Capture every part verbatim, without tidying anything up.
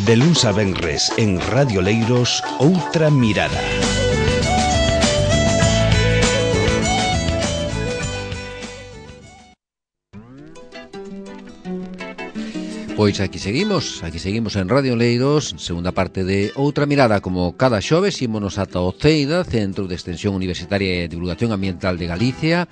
De luns a venres en Radio Leiros, Outra Mirada. Pois aquí seguimos, aquí seguimos en Radio Leiros, segunda parte de Outra Mirada, como cada xoves, ímonos ata o CEIDA, Centro de Extensión Universitaria e Divulgación Ambiental de Galicia.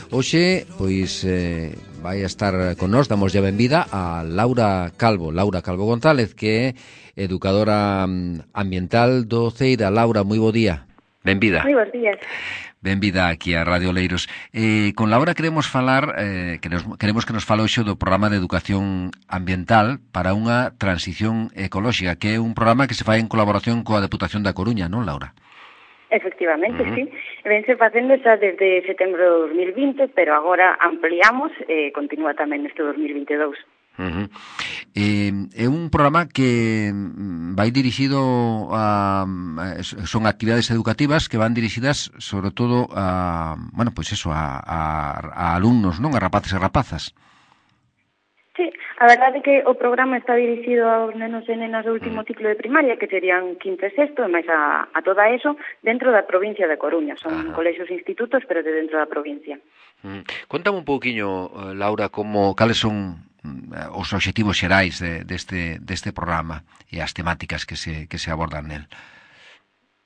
Hoxe, pois, eh, vai a estar con nós, damos ya benvida a Laura Calvo, Laura Calvo González, que é educadora ambiental do CEIDA. Laura, moi bo día. Benvida. Moi bons días. Benvida aquí a Radio Leiros. Eh, con Laura queremos falar, eh, que nos, queremos que nos fale hoxe do programa de educación ambiental para unha transición ecolóxica, que é un programa que se fai en colaboración coa Deputación da Coruña, non, Laura? Efectivamente, uh-huh. sí. Vense facendo xa desde setembro de dos mil vinte, pero agora ampliamos e eh, continúa tamén neste dos mil veintidous. Uh-huh. Eh, é un programa que vai dirixido a, son actividades educativas que van dirixidas sobre todo a, bueno, pois pues eso, a, a, a alumnos, non? A rapaces e rapazas. Sí, a verdade é que o programa está dirixido aos nenos e nenas do último ciclo de primaria, que serían quinto e sexto, e máis a, a toda eso, dentro da provincia de Coruña. Son Ajá. colexios e institutos, pero de dentro da provincia. Mm. Contame un pouquiño, Laura, como cales son os obxectivos xerais de, deste, deste programa e as temáticas que se, que se abordan nel.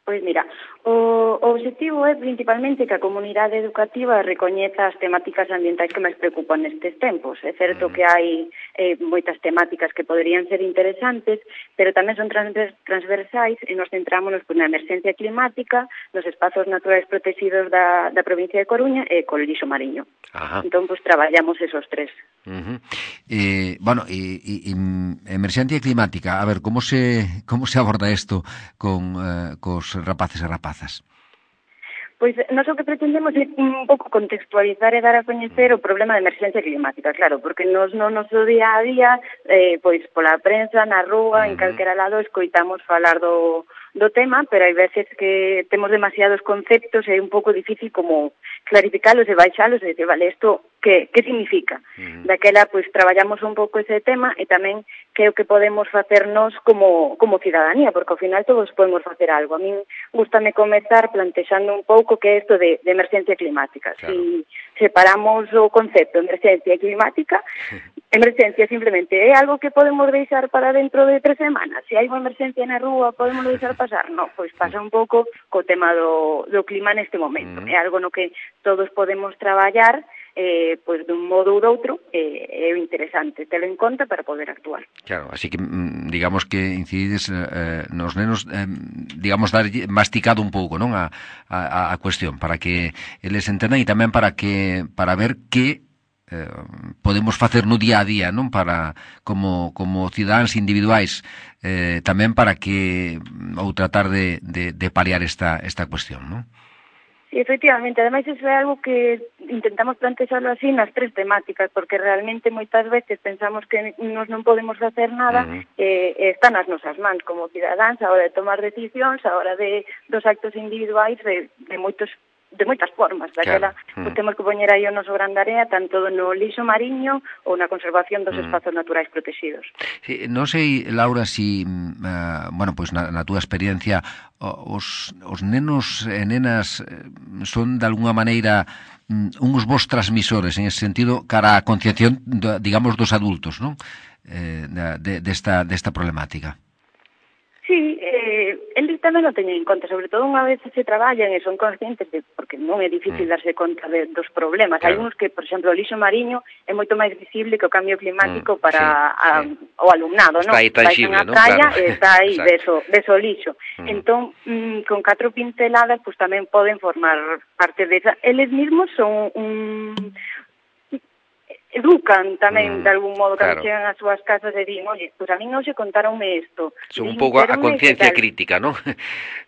Pois mira, o, o objetivo é principalmente que a comunidade educativa recoñeza as temáticas ambientais que máis preocupan nestes tempos. É certo mm. que hai eh, moitas temáticas que poderían ser interesantes, pero tamén son transversais e nos centrámonos pues, na emerxencia climática, nos espazos naturais protegidos da, da provincia de Coruña e col lixo mariño. Ajá. Entón, pues, traballamos esos tres. Uh-huh. Eh, bueno, e, e, e emerxencia climática, a ver, como se como se aborda isto con eh, cos rapaces e rapazas? Pois nós o que pretendemos é un pouco contextualizar e dar a coñecer o problema de emerxencia climática, claro, porque nos no noso día a día, eh, pois pola prensa, na rúa, uh-huh. en calquera lado, escoitamos falar do, do tema, pero hai veces que temos demasiados conceptos e é un pouco difícil como clarificalos e baixalos e dizer, vale, isto que, que significa? Uh-huh. Daquela, pois, traballamos un pouco ese tema e tamén que é o que podemos facernos como, como cidadanía, porque ao final todos podemos facer algo. A min gustame comezar plantexando un pouco que é isto de, de emerxencia climática. Claro. Si separamos o concepto de emerxencia climática, emerxencia simplemente é algo que podemos deixar para dentro de tres semanas. Se hai unha emerxencia na rúa, podemos deixar pasar? Non, pois pasa un pouco co tema do, do clima neste momento. Uh-huh. É algo no que todos podemos traballar eh, pois dun modo ou doutro, eh, é interesante telo en conta para poder actuar. Claro, así que digamos que incidides eh, nos nenos, eh, digamos, dar masticado un pouco, non, a, a, a cuestión, para que eles entendan e tamén para que para ver que eh, podemos facer no día a día, non, para como como cidadáns individuais, eh, tamén para que ou tratar de, de, de paliar esta esta cuestión, non? Sí, efectivamente, ademais iso é algo que intentamos plantexarlo así nas tres temáticas, porque realmente moitas veces pensamos que nos non podemos facer nada, uh-huh. e, e está nas nosas mans como cidadáns a hora de tomar decisións, a hora de dos actos individuais de, de moitos de moitas formas, daquela claro. uh-huh. temos que poñer aí o noso gran area tanto no lixo mariño ou na conservación dos uh-huh. espazos naturais protegidos. Sí, non sei, Laura, si uh, bueno, pois na, na túa experiencia os, os nenos e nenas son de alguna maneira um, uns bons transmisores en ese sentido cara á concienciación, digamos, dos adultos, non? Eh, de, desta, desta problemática. Sí, eh, eles tamén o teñen en conta, sobre todo unha vez se traballan e son conscientes de, porque non é difícil mm. darse conta de, dos problemas. Claro. Hai uns que, por exemplo, o lixo mariño é moito máis visible que o cambio climático mm, para sí, a, sí. o alumnado, non? Está aí tangible, non? Praia, claro. E está aí deso, deso lixo. Mm. Entón, mm, con catro pinceladas, pues tamén poden formar parte desa. Eles mesmos son un... educan tamén, mm, de algún modo, cando claro. chegan ás súas casas e din, oye, pues a mí non se contaronme isto. Son un pouco a conciencia crítica, non?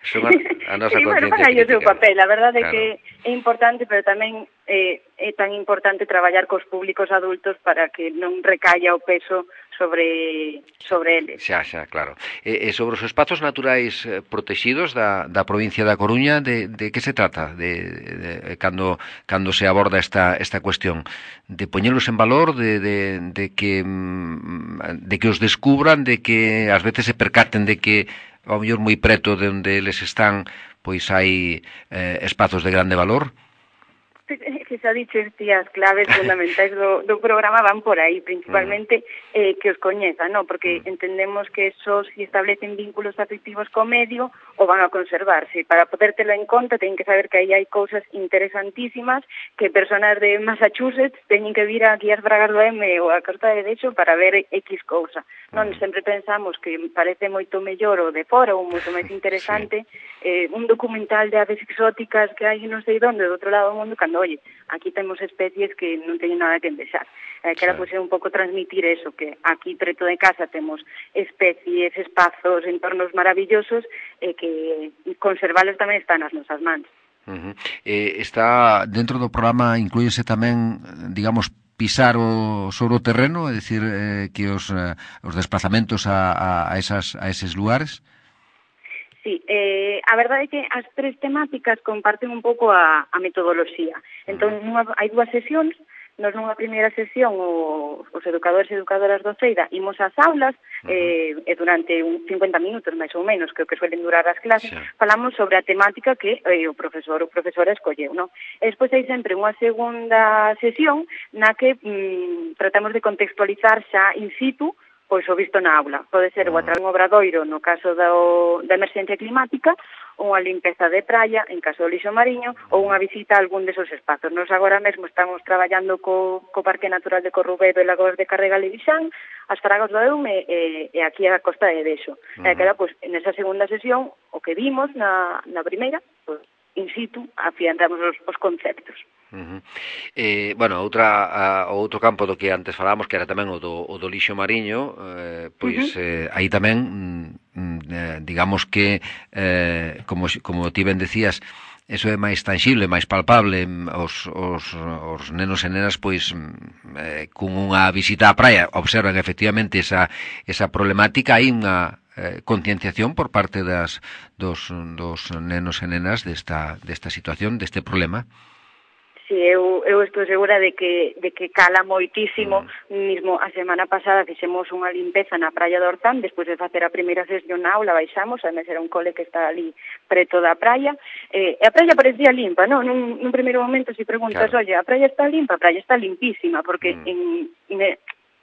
Son a, a nosa sí, conciencia bueno, crítica. Sí, o seu papel, a verdade é claro. que é importante, pero tamén é, é tan importante traballar cos públicos adultos para que non recaia o peso sobre sobre eles. Xa, xa, claro. E, e sobre os espazos naturais protegidos da, da provincia da Coruña, de, de que se trata de, de, de cando, cando se aborda esta, esta cuestión? De poñelos en valor, de, de, de que de que os descubran, de que ás veces se percaten de que ao mellor moi preto de onde eles están pois hai eh, espazos de grande valor? Que xa dices ti, as claves fundamentais do, do programa van por aí, principalmente eh, que os coñezan, ¿no? Porque entendemos que esos si establecen vínculos afectivos co medio o van a conservarse. Para podértelo en conta, teñen que saber que aí hai cousas interesantísimas que personas de Massachusetts teñen que vir aquí ás Bragas do M ou a Costa de Dexo para ver X cousa. Non sempre pensamos que parece moito mellor o de fora ou moito máis interesante eh, un documental de aves exóticas que hai non sei onde, do outro lado do mundo, cando oye, aquí temos especies que non teñen nada que envexar. Eh, que era pois, un pouco transmitir eso, que aquí preto de casa temos especies, espazos, entornos maravillosos e eh, que conservalos tamén están nas nosas mans. Uh-huh. Eh, está dentro do programa, inclúyese tamén, digamos, pisar o sobre o terreno, é dicir, eh, que os, eh, os desplazamentos a, a, a, esas, a eses lugares? Sí, eh, a verdade é que as tres temáticas comparten un pouco a, a metodoloxía. Entón, nunha, hai dúas sesións. Nos nunha primeira sesión o, os educadores e educadoras do CEIDA imos ás aulas eh, e durante un cincuenta minutos máis ou menos, que o que suelen durar as clases, sí. Falamos sobre a temática que eh, o profesor ou profesora escolleu, non? E despois hai sempre unha segunda sesión na que mm, tratamos de contextualizar xa in situ pois o visto na aula. Pode ser o a través dun obradoiro no caso do, da emerxencia climática, ou unha limpeza de praia en caso do lixo mariño, ou unha visita a algún desos espazos. Nos agora mesmo estamos traballando co, co Parque Natural de Corrubedo e Lagos de Carregal e Vixán, as Fragas do Eume e, e aquí a Costa de Dexo. Uh-huh. E que era, pois, nesa segunda sesión, o que vimos na, na primeira, pois, in situ, afianzamos os, os conceptos. Uh-huh. Eh, bueno, outra a, o outro campo do que antes falábamos, que era tamén o do, o do lixo mariño, eh, pois uh-huh. eh, aí tamén mm, eh, digamos que eh, como, como ti ben decías, eso é máis tangible, máis palpable. Os, os, os nenos e nenas pois eh, con unha visita á praia observan efectivamente esa, esa problemática. Hai unha eh, concienciación por parte das, dos, dos nenos e nenas desta, desta situación, deste problema. Sí, eu, eu estou segura de que, de que cala moitísimo. Mm. Mismo a semana pasada fixemos unha limpeza na praia do Orzán, despois de facer a primeira sesión na aula baixamos, además era un cole que está ali preto da praia, eh, e a praia parecía limpa, non? Nun, nun primeiro momento se preguntas, claro. Oye, a praia está limpa, a praia está limpísima, porque mm. en, en,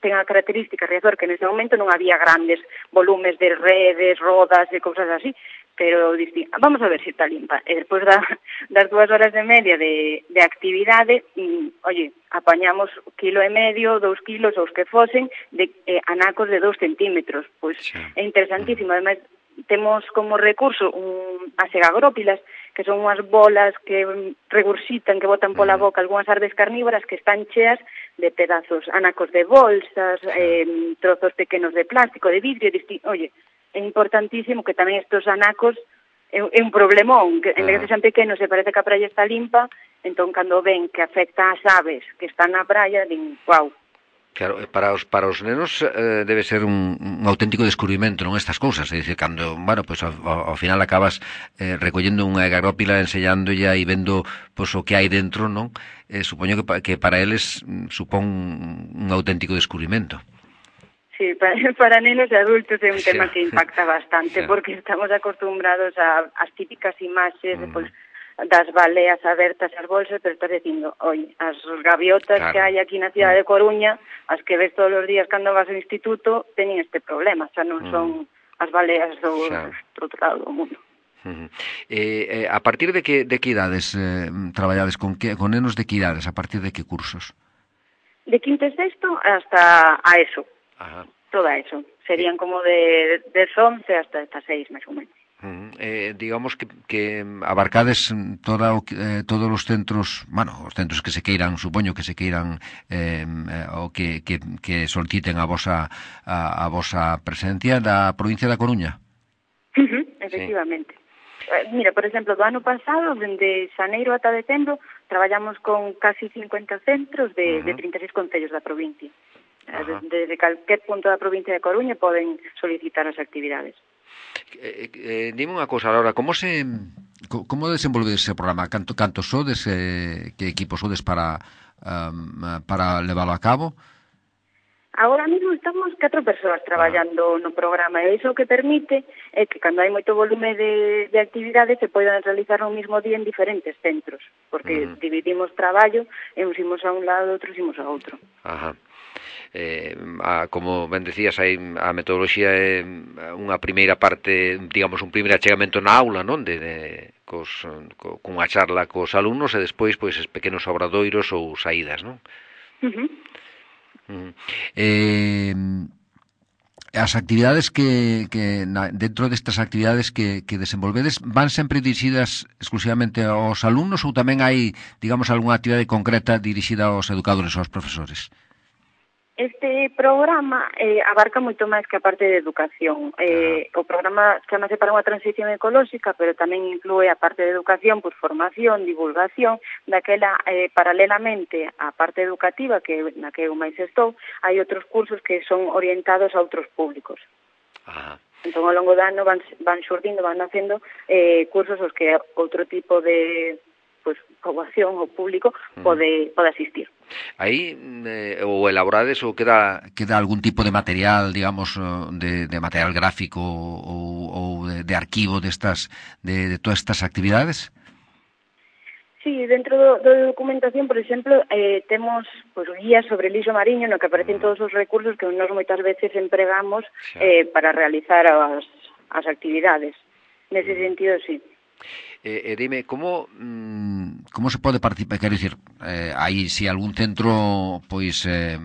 ten a característica Riazor que nese momento non había grandes volumes de redes, rodas e cousas así, pero dixi, vamos a ver se está limpa. E despois da, das dúas horas e media de, de actividade, mm, oye, apañamos quilo e medio, dous kilos, os que fosen, de eh, anacos de dous centímetros. Pois sí. É interesantísimo. Ademais, temos como recurso un, as egagrópilas, que son unhas bolas que regurxitan, que botan pola boca algunhas ardes carnívoras que están cheas de pedazos, anacos de bolsas, eh, trozos pequenos de plástico, de vidrio, de, oye, é importantísimo que tamén estos anacos é, é un problemón, que en vez de que sean pequenos e parece que a praia está limpa, entón cando ven que afecta ás aves que están na praia, din, guau. Claro, para os para os nenos eh, debe ser un, un auténtico descubrimento, non, estas cousas, é dicir, cando, bueno, pues ao, ao final acabas eh, recollendo unha egagrópila, enseñándolla e vendo pues, o que hai dentro, non? Eh, supoño que, que para eles supón un auténtico descubrimento. Sí, para, para nenos e adultos é un tema sí. que impacta bastante, sí. porque estamos acostumbrados a as típicas imaxes mm. de, pues, das baleas abertas as bolsas, pero estás dicindo, oi, as gaviotas claro. que hai aquí na cidade de Coruña, as que ves todos os días cando vas ao instituto, teñen este problema, xa non mm. son as baleas do, claro. do outro lado do mundo. Uh-huh. Eh, eh, a partir de que, de que idades eh, traballades con, que, con nenos de que idades, a partir de que cursos? De quinto e sexto hasta a ESO. Ajá. Toda eso. Serían como de, de once hasta seis, máis ou menos. Uh-huh. Eh, digamos que, que abarcades toda o, eh, todos os centros, bueno, os centros que se queiran, supoño que se queiran eh, o que, que, que soliciten a vosa, a, a vosa presencia da provincia da Coruña. Uh-huh, efectivamente. Sí. Mira, por exemplo, do ano pasado, dende xaneiro ata decembro, traballamos con casi cincuenta centros de, uh -huh. de trinta e seis concellos da provincia. Uh -huh. Desde calquer punto da provincia de Coruña poden solicitar as actividades. Eh, eh, dime unha cosa, Laura, como se como desenvolve ese programa? Canto, canto sodes, eh, que equipo sodes para um, para leválo a cabo? Agora mesmo estamos catro persoas traballando ah. no programa, e iso que permite é que cando hai moito volume de, de actividades se poidan realizar no mesmo día en diferentes centros, porque uh -huh. dividimos traballo e uns imos a un lado, outros imos a outro. Ajá. Eh, a, como ben decías, hai a metodoloxía é unha primeira parte, digamos, un primeiro achegamento na aula, non? De, de cos, co, cunha charla cos alumnos e despois, pois, es pequenos obradoiros ou saídas, non? Uh -huh. Uh -huh. Eh, as actividades que, que na, dentro destas actividades que, que desenvolvedes van sempre dirixidas exclusivamente aos alumnos ou tamén hai, digamos, algunha actividade concreta dirixida aos educadores ou aos profesores? Este programa eh, abarca moito máis que a parte de educación. Eh, o programa chamase para unha transición ecolóxica, pero tamén inclúe a parte de educación, pues, formación, divulgación, daquela, eh, paralelamente á parte educativa, que na que eu máis estou, hai outros cursos que son orientados a outros públicos. Ajá. Entón, ao longo do ano van, van xurdindo, van nacendo eh, cursos os que outro tipo de pues, poboación ou público pode, pode asistir. Aí eh, ou elaborades ou queda queda algún tipo de material, digamos, de, de material gráfico ou, ou de, de arquivo destas de, de todas estas actividades? Sí, dentro do, do de documentación, por exemplo, eh, temos pues, guías sobre lixo mariño no que aparecen todos os recursos que nós moitas veces empregamos eh, para realizar as, as actividades. Nese sentido, sí. Eh, eh, dime, como mm, como se pode participar? Quero dicir, eh, aí se si algún centro pois eh,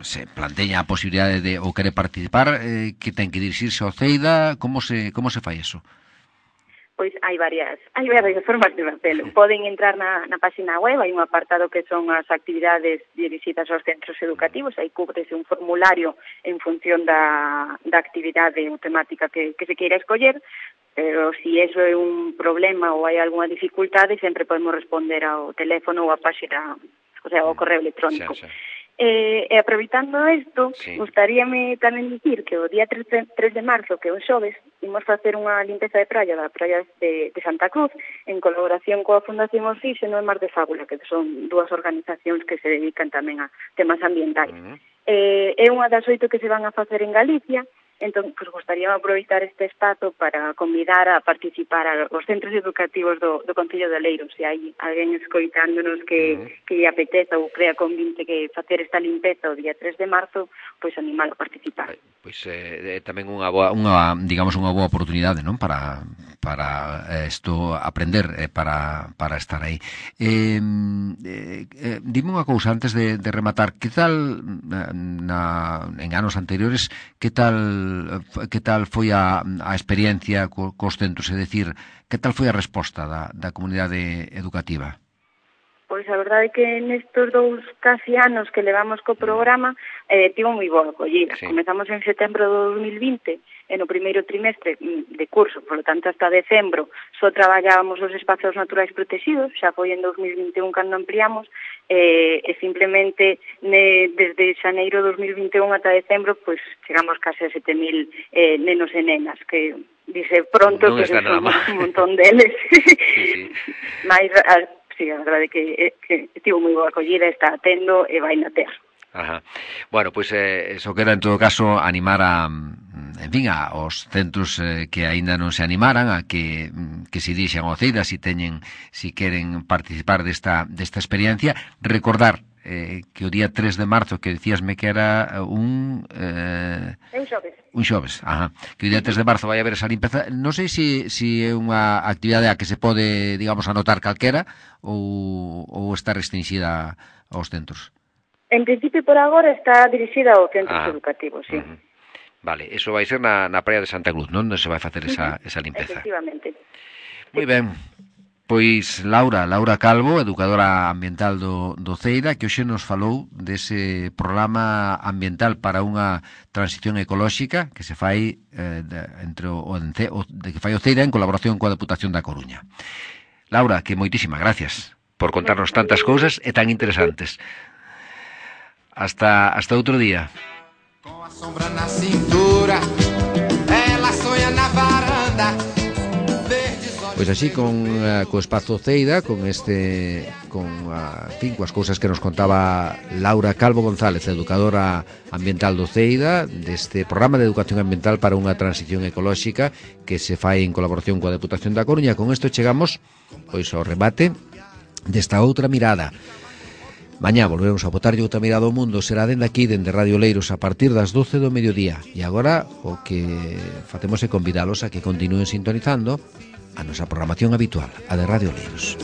se planteña a posibilidade de ou quere participar, eh, que ten que dirixirse ao CEIDA, como se como se fai eso? Pois hai varias, hai varias formas de facelo. Poden entrar na, na página web, hai un apartado que son as actividades dirixidas aos centros educativos, aí cúbrese un formulario en función da, da actividade ou temática que, que se queira escoller, pero si eso é un problema ou hai algunha dificultade, sempre podemos responder ao teléfono ou á página, o sea, ao correo electrónico. Sí, sí. Eh, e aproveitando isto, sí. Gustaríame tamén dicir que o día tres de marzo, que é un xoves, imos facer unha limpeza de praia da praia de, de Santa Cruz, en colaboración coa Fundación Oxígeno e Mar de Fábula, que son dúas organizacións que se dedican tamén a temas ambientais. Uh -huh. eh, é unha das oito que se van a facer en Galicia. Entón, pues, gustaría aproveitar este espazo para convidar a participar a os centros educativos do, do Concello de Oleiros. Se hai alguén escoitándonos que, uh-huh. que lle apeteza ou crea convinte que facer esta limpeza o día tres de marzo, pois pues, animalo a participar. Pois eh, tamén unha boa, unha, digamos, unha boa oportunidade, non? Para para isto eh, aprender, eh, para, para estar aí. Eh, eh, eh, dime unha cousa antes de, de rematar, que tal na, en anos anteriores, que tal que tal foi a, a experiencia co, cos centros, é dicir, que tal foi a resposta da, da comunidade educativa? Pois a verdade é que nestes dous casi anos que levamos co programa eh, tivo moi boa acollida. Sí. Comezamos en setembro do dos mil vinte e no primeiro trimestre de curso, por lo tanto hasta decembro só traballábamos os espazos naturais protegidos, xa foi en dos mil vinte e un cando ampliamos eh, e simplemente ne, desde xaneiro dos mil vinte e un ata decembro pois chegamos case a sete mil eh, nenos e nenas que dice pronto non que se son un montón deles. Sí, sí. Mais a, sí, a verdade é que, que estivo moi boa acollida, está atendo e vai na terra. Ajá. Bueno, pois pues, eh, eso queda en todo caso animar a, en fin, a os centros eh, que aínda non se animaran a que que se dirixan ao CEIDA si teñen, si queren participar desta desta experiencia, recordar eh, que o día tres de marzo, que dicíasme que era un eh, un xoves. Un xoves, ajá. Que o día tres de marzo vai haber esa limpeza. Non sei se si, si é unha actividade a que se pode, digamos, anotar calquera ou ou está restringida aos centros. En principio, por agora, está dirixida aos centros ah, educativos, sí. Uh -huh. Vale, eso vai ser na, na praia de Santa Cruz, non? Non se vai facer esa, uh -huh. esa limpeza. Efectivamente. Moi ben. Pois Laura, Laura Calvo, educadora ambiental do, do CEIDA, que hoxe nos falou dese programa ambiental para unha transición ecolóxica que se fai eh, de, entre o, o, o de que fai o CEIDA en colaboración coa Deputación da Coruña. Laura, que moitísimas gracias por contarnos tantas cousas e tan interesantes. Hasta hasta outro día. Con a sombra na cintura, ela soña na varanda. Pois así con uh, co Espazo Ceida, con este con uh, fin, coas cousas que nos contaba Laura Calvo González, educadora ambiental do Ceida, deste programa de educación ambiental para unha transición ecolóxica que se fai en colaboración coa Deputación da Coruña. Con isto chegamos pois ao remate desta outra mirada. Mañá volvemos a botarlle outra mirada ao mundo. Será dende aquí, dende Radio Leiros, a partir das doce do mediodía. E agora o que facemos é convidalos a que continúen sintonizando a nosa programación habitual, a de Radio Leiros.